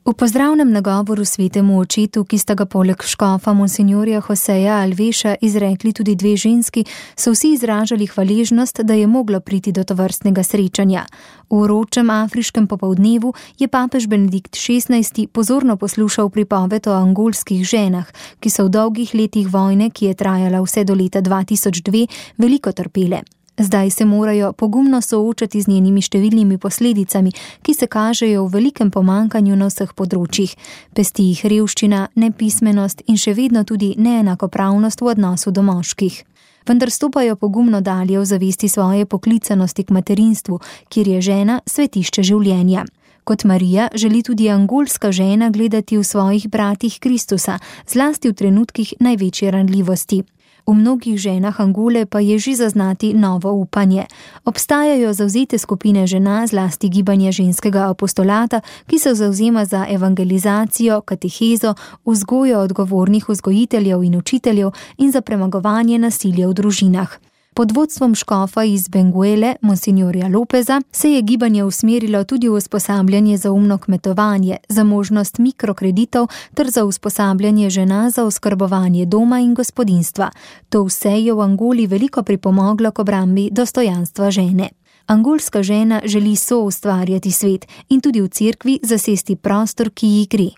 V pozdravnem nagovoru svetemu očetu, ki sta ga poleg škofa monsinjorja Joseja Alveša izrekli tudi dve ženski, so vsi izražali hvaležnost, da je moglo priti do tovrstnega srečanja. V vročem afriškem popoldnevu je papež Benedikt XVI pozorno poslušal pripoved o angolskih ženah, ki so v dolgih letih vojne, ki je trajala vse do leta 2002, veliko trpele. Zdaj se morajo pogumno soočati z njenimi številnimi posledicami, ki se kažejo v velikem pomankanju na vseh področjih. Pesti jih revščina, nepismenost in še vedno tudi neenakopravnost v odnosu do moških. Vendar stopajo pogumno dalje v zavesti svoje poklicanosti k materinstvu, kjer je žena svetišče življenja. Kot Marija želi tudi angolska žena gledati v svojih bratih Kristusa, zlasti v trenutkih največje ranljivosti. V mnogih ženah Angole pa je že zaznati novo upanje. Obstajajo zavzete skupine žena, zlasti gibanje ženskega apostolata, ki se zavzema za evangelizacijo, katehezo, vzgojo odgovornih vzgojiteljev in učiteljev in za premagovanje nasilja v družinah. Pod vodstvom škofa iz Benguele, monsinjorja Lopeza, se je gibanje usmerilo tudi v usposabljanje za umno kmetovanje, za možnost mikrokreditov ter za usposabljanje žena za oskrbovanje doma in gospodinjstva. To vse je v Angoli veliko pripomoglo k obrambi dostojanstva žene. Angolska žena želi soustvarjati svet in tudi v cerkvi zasesti prostor, ki ji gre.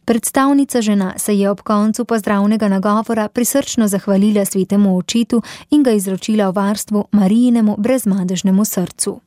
Predstavnica žena se je ob koncu pozdravnega nagovora prisrčno zahvalila svetemu očetu in ga izročila v varstvo Marijinemu brezmadežnemu srcu.